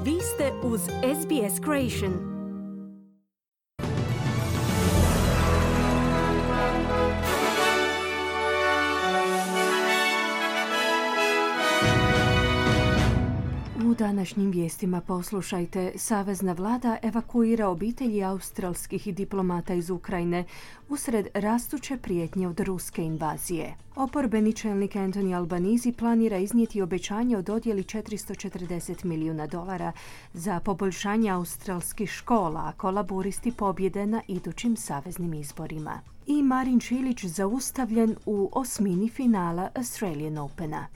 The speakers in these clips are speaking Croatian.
Vi ste uz SBS Creation. U današnjim vijestima poslušajte: Savezna vlada evakuira obitelji australskih diplomata iz Ukrajine usred rastuće prijetnje od ruske invazije. Oporbeni čelnik Anthony Albanese planira iznijeti obećanje o dodjeli $440 milijuna za poboljšanje australskih škola ako laburisti pobjede na idućim saveznim izborima. I Marin Čilić zaustavljen u osmini finala Australian Opena.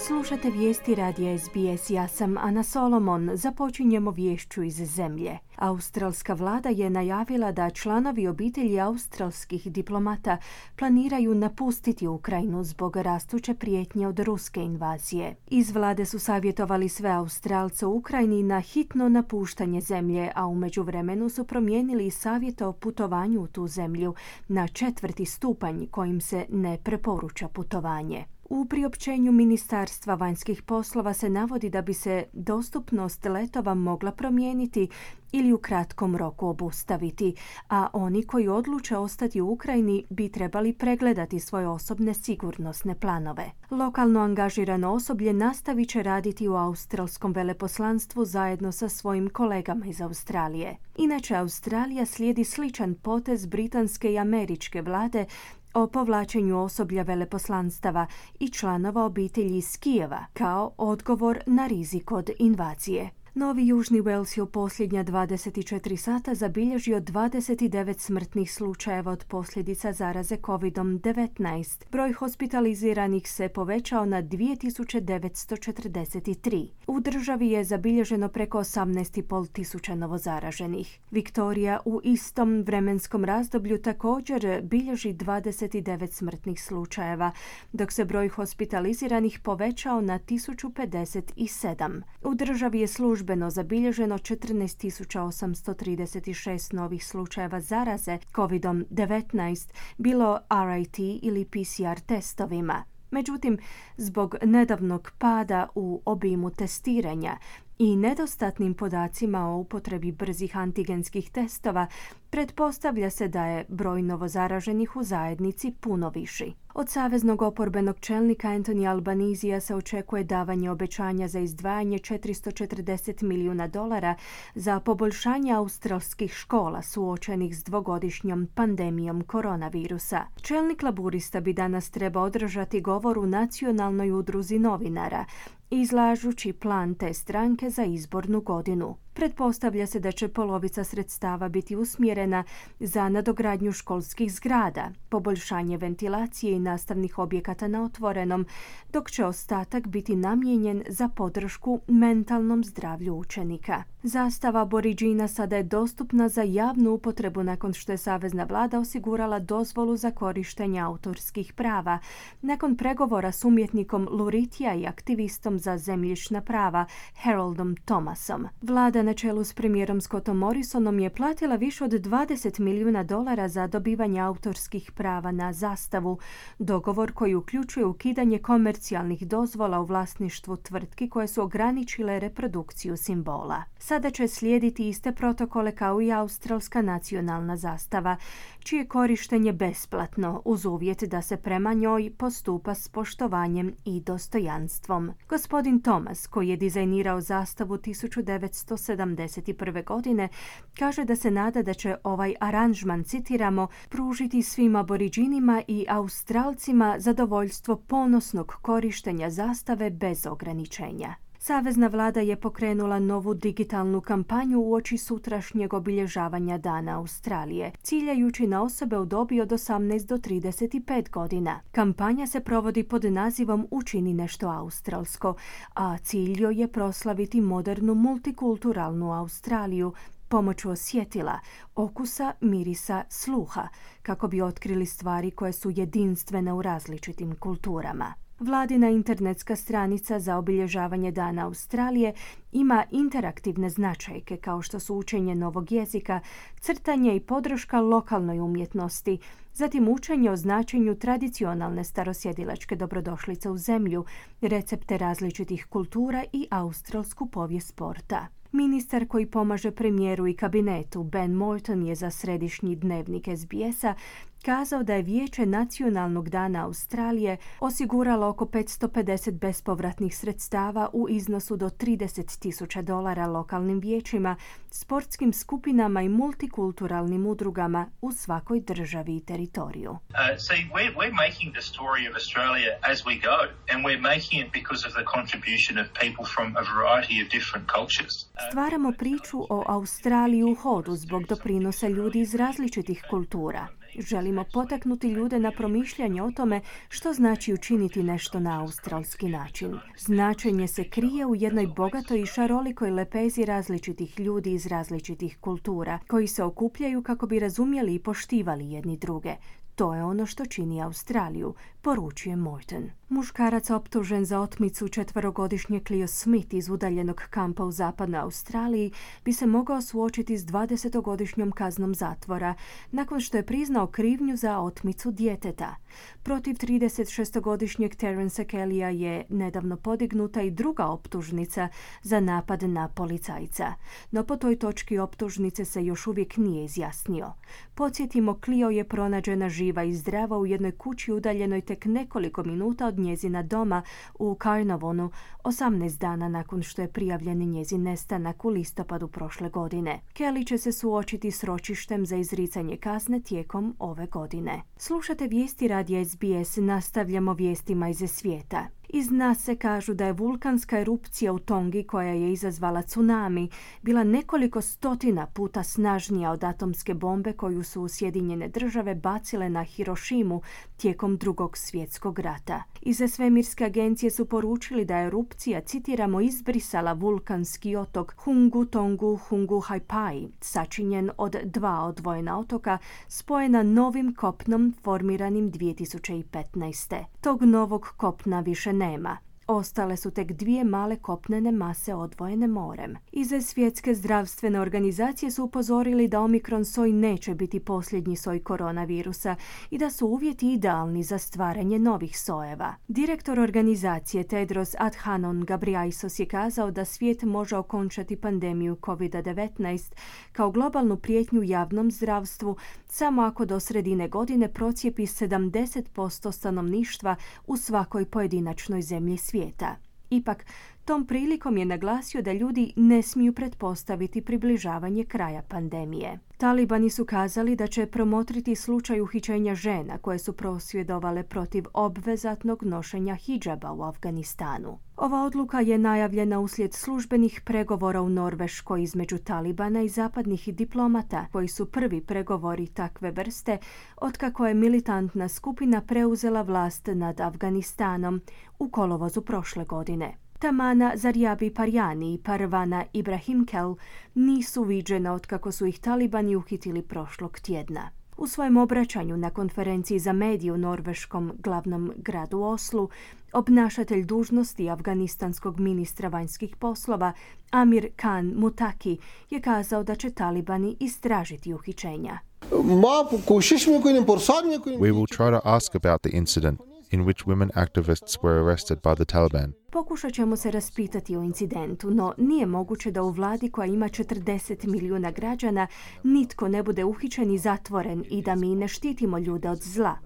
Slušate vijesti radija SBS, ja sam Ana Solomon. Započinjemo viješću iz zemlje. Australska vlada je najavila da članovi obitelji australskih diplomata planiraju napustiti Ukrajinu zbog rastuće prijetnje od ruske invazije. Iz vlade su savjetovali sve Australce u Ukrajini na hitno napuštanje zemlje, a u međuvremenu su promijenili savjet o putovanju u tu zemlju na 4. stupanj kojim se ne preporuča putovanje. U priopćenju Ministarstva vanjskih poslova se navodi da bi se dostupnost letova mogla promijeniti ili u kratkom roku obustaviti, a oni koji odluče ostati u Ukrajini bi trebali pregledati svoje osobne sigurnosne planove. Lokalno angažirano osoblje nastavit će raditi u australskom veleposlanstvu zajedno sa svojim kolegama iz Australije. Inače, Australija slijedi sličan potez britanske i američke vlade o povlačenju osoblja veleposlanstava i članova obitelji iz Kijeva kao odgovor na rizik od invazije. Novi Južni Wales je u posljednja 24 sata zabilježio 29 smrtnih slučajeva od posljedica zaraze COVID-19. Broj hospitaliziranih se povećao na 2943. U državi je zabilježeno preko 18.500 novozaraženih. Viktorija u istom vremenskom razdoblju također bilježi 29 smrtnih slučajeva, dok se broj hospitaliziranih povećao na 1057. U državi je službeno zabilježeno 14.836 novih slučajeva zaraze COVID-19, bilo RIT ili PCR testovima. Međutim, zbog nedavnog pada u obimu testiranja i nedostatnim podacima o upotrebi brzih antigenskih testova, pretpostavlja se da je broj novozaraženih u zajednici puno viši. Od saveznog oporbenog čelnika Anthony Albanesea se očekuje davanje obećanja za izdvajanje $440 milijuna za poboljšanje australskih škola suočenih s dvogodišnjom pandemijom koronavirusa. Čelnik laburista bi danas trebao održati govor u Nacionalnoj udruzi novinara, izlažući plan te stranke za izbornu godinu. Pretpostavlja se da će polovica sredstava biti usmjerena za nadogradnju školskih zgrada, poboljšanje ventilacije i nastavnih objekata na otvorenom, dok će ostatak biti namijenjen za podršku mentalnom zdravlju učenika. Zastava Aboriđina sada je dostupna za javnu upotrebu nakon što je savezna vlada osigurala dozvolu za korištenje autorskih prava, nakon pregovora s umjetnikom Luritija i aktivistom za zemljišna prava Haroldom Thomasom. Vlada na čelu s premijerom Scottom Morrisonom je platila više od $20 milijuna za dobivanje autorskih prava na zastavu, dogovor koji uključuje ukidanje komercijalnih dozvola u vlasništvu tvrtki koje su ograničile reprodukciju simbola. Sada će slijediti iste protokole kao i australska nacionalna zastava, čije korištenje besplatno uz uvjet da se prema njoj postupa s poštovanjem i dostojanstvom. Gospodin Thomas, koji je dizajnirao zastavu 1971. godine, kaže da se nada da će ovaj aranžman, citiramo, pružiti svim Aboriđinima i Australcima zadovoljstvo ponosnog korištenja zastave bez ograničenja. Savezna vlada je pokrenula novu digitalnu kampanju uoči sutrašnjeg obilježavanja Dana Australije, ciljajući na osobe u dobi od 18 do 35 godina. Kampanja se provodi pod nazivom Učini nešto australsko, a cilj joj je proslaviti modernu multikulturalnu Australiju pomoću osjetila, okusa, mirisa, sluha, kako bi otkrili stvari koje su jedinstvene u različitim kulturama. Vladina internetska stranica za obilježavanje Dana Australije ima interaktivne značajke kao što su učenje novog jezika, crtanje i podrška lokalnoj umjetnosti, zatim učenje o značenju tradicionalne starosjedilačke dobrodošlice u zemlju, recepte različitih kultura i australsku povijest sporta. Ministar koji pomaže premijeru i kabinetu, Ben Moulton, je za središnji dnevnik SBS-a kazao da je Vijeće Nacionalnog dana Australije osiguralo oko 550 bespovratnih sredstava u iznosu do $30,000 lokalnim vijećima, sportskim skupinama i multikulturalnim udrugama u svakoj državi i teritoriju. We're making the story of Australia as we go, and we're making it because of the contribution of people from a variety of different cultures. Stvaramo priču o Australiji u hodu zbog doprinosa ljudi iz različitih kultura. Želimo potaknuti ljude na promišljanje o tome što znači učiniti nešto na australski način. Značenje se krije u jednoj bogatoj i šarolikoj lepezi različitih ljudi iz različitih kultura, koji se okupljaju kako bi razumjeli i poštivali jedni druge. To je ono što čini Australiju, poručuje Moulton. Muškarac optužen za otmicu 4-godišnje Cleo Smith iz udaljenog kampa u zapadnoj Australiji bi se mogao suočiti s 20-godišnjom kaznom zatvora nakon što je priznao krivnju za otmicu djeteta. Protiv 36-godišnjeg Terence Kellya je nedavno podignuta i druga optužnica za napad na policajca. No po toj točki optužnice se još uvijek nije izjasnio. Podsjetimo, Cleo je pronađena živa i zdrava u jednoj kući udaljenoj tek nekoliko minuta od njezina doma u Carnarvonu, 18 dana nakon što je prijavljen njezin nestanak u listopadu prošle godine. Kelly će se suočiti s ročištem za izricanje kazne tijekom ove godine. Slušate vijesti radija SBS, nastavljamo vijestima iz svijeta. Iz nas se kažu da je vulkanska erupcija u Tongi, koja je izazvala tsunami, bila nekoliko stotina puta snažnija od atomske bombe koju su Sjedinjene države bacile na Hirošimu tijekom Drugog svjetskog rata. Iz svemirske agencije su poručili da je erupcija, citiramo, izbrisala vulkanski otok Hungu Tongu Hungu Haipai, sačinjen od 2 odvojena otoka, spojena novim kopnom formiranim 2015. Tog novog kopna više nema. Ostale su tek 2 male kopnene mase odvojene morem. Iz Svjetske zdravstvene organizacije su upozorili da Omikron soj neće biti posljednji soj koronavirusa i da su uvjeti idealni za stvaranje novih sojeva. Direktor organizacije Tedros Adhanom Ghebreyesus je kazao da svijet može okončati pandemiju COVID-19 kao globalnu prijetnju javnom zdravstvu samo ako do sredine godine procijepi 70% stanovništva u svakoj pojedinačnoj zemlji svijeta. Ipak, tom prilikom je naglasio da ljudi ne smiju pretpostaviti približavanje kraja pandemije. Talibani su kazali da će promotriti slučaj uhićenja žena koje su prosvjedovale protiv obvezatnog nošenja hidžaba u Afganistanu. Ova odluka je najavljena uslijed službenih pregovora u Norveškoj između Talibana i zapadnih diplomata, koji su prvi pregovori takve vrste otkako je militantna skupina preuzela vlast nad Afganistanom u kolovozu prošle godine. Tamana Zarjabi Parjani i Parvana Ibrahimkel nisu viđena otkako su ih Talibani uhitili prošlog tjedna. U svojem obraćanju na konferenciji za medije u norveškom glavnom gradu Oslu, obnašatelj dužnosti afganistanskog ministra vanjskih poslova Amir Khan Mutaki je kazao da će Talibani istražiti uhićenja. We will try to ask about the incident in which women activists were arrested by the Taliban. Pokušat ćemo se raspitati o incidentu, no nije moguće da u vladi koja ima 40 milijuna građana nitko ne bude uhićen i zatvoren i da mi ne štitimo ljude od zla.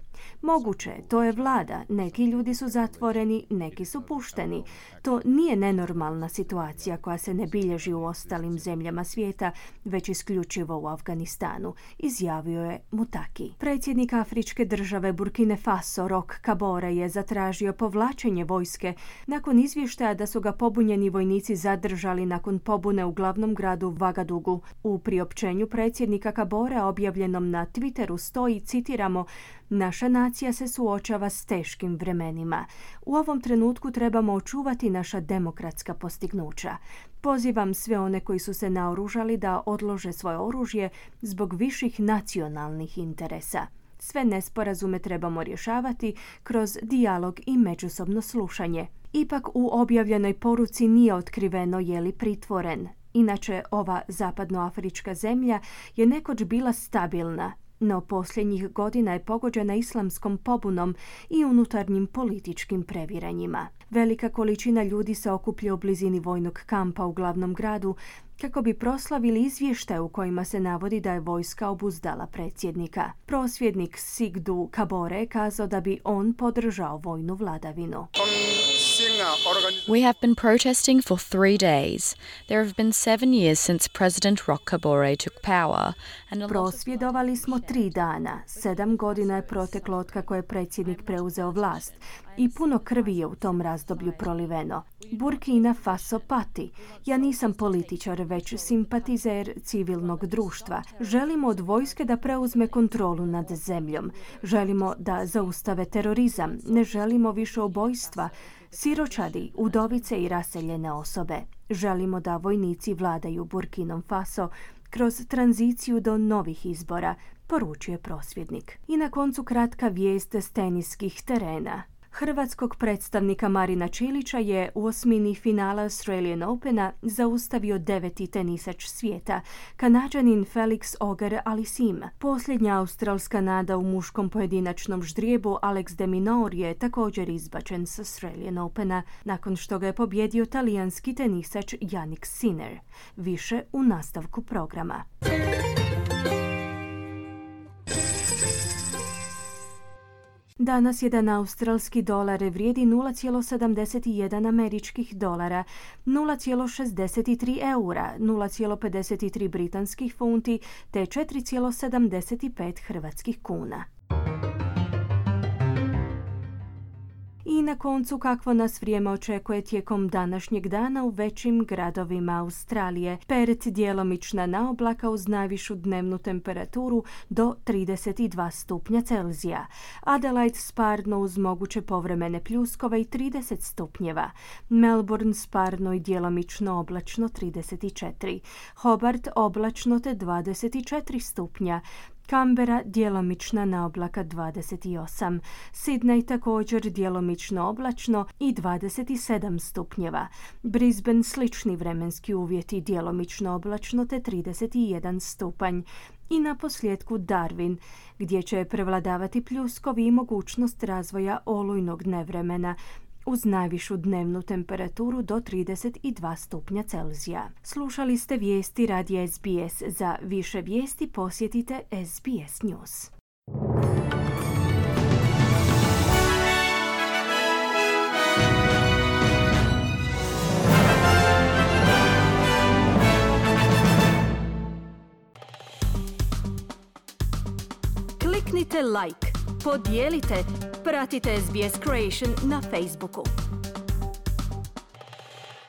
Moguće, to je vlada. Neki ljudi su zatvoreni, neki su pušteni. To nije nenormalna situacija koja se ne bilježi u ostalim zemljama svijeta, već isključivo u Afganistanu, izjavio je Mutaki. Predsjednik afričke države Burkine Faso, Roch Kabore, je zatražio povlačenje vojske nakon izvještaja da su ga pobunjeni vojnici zadržali nakon pobune u glavnom gradu Vagadugu. U priopćenju predsjednika Kaborea objavljenom na Twitteru stoji, citiramo, naša nacija se suočava s teškim vremenima. U ovom trenutku trebamo očuvati naša demokratska postignuća. Pozivam sve one koji su se naoružali da odlože svoje oružje zbog viših nacionalnih interesa. Sve nesporazume trebamo rješavati kroz dijalog i međusobno slušanje. Ipak u objavljenoj poruci nije otkriveno je li pritvoren. Inače, ova zapadnoafrička zemlja je nekoć bila stabilna, no posljednjih godina je pogođena islamskom pobunom i unutarnjim političkim previranjima. Velika količina ljudi se okuplja u blizini vojnog kampa u glavnom gradu kako bi proslavili izvještaj u kojima se navodi da je vojska obuzdala predsjednika. Prosvjednik Sigdu Kabore kazao da bi on podržao vojnu vladavinu. We have been protesting for 3 days. There have been 7 years since President Roch Kabore took power. Prosvjedovali smo 3 dana. 7 godina je proteklo otkako je predsjednik preuzeo vlast i puno krvi je u tom razdoblju proliveno. Burkina Faso pati. Ja nisam političar, već simpatizer civilnog društva. Želimo od vojske da preuzme kontrolu nad zemljom. Želimo da zaustave terorizam. Ne želimo više ubojstva, siročadi, udovice i raseljene osobe. Želimo da vojnici vladaju Burkinom Faso kroz tranziciju do novih izbora, poručuje prosvjednik. I na koncu kratka vijest s teniskih terena. Hrvatskog predstavnika Marina Čilića je u osmini finala Australian Opena zaustavio 9. tenisač svijeta, Kanađanin Felix Auger-Aliassime. Posljednja australska nada u muškom pojedinačnom ždrijebu Alex de Minaur je također izbačen s Australian Opena nakon što ga je pobjedio talijanski tenisač Jannik Sinner. Više u nastavku programa. Danas jedan australski dolar vrijedi 0,71 američkih dolara, 0,63 eura, 0,53 britanskih funti te 4,75 hrvatskih kuna. I na koncu kakvo nas vrijeme očekuje tijekom današnjeg dana u većim gradovima Australije. Perth djelomična naoblaka uz najvišu dnevnu temperaturu do 32 stupnja Celzija. Adelaide sparno uz moguće povremene pljuskove i 30 stupnjeva. Melbourne sparno i djelomično oblačno 34. Hobart oblačno te 24 stupnja. Canberra djelomična naoblaka 28, Sydney također djelomično oblačno i 27 stupnjeva, Brisbane slični vremenski uvjeti djelomično oblačno te 31 stupanj i na posljedku Darwin gdje će prevladavati pljuskovi i mogućnost razvoja olujnog nevremena uz najvišu dnevnu temperaturu do 32 stupnja Celzija. Slušali ste vijesti radija SBS. Za više vijesti posjetite SBS News. Kliknite like, podijelite, pratite SBS Creation na Facebooku.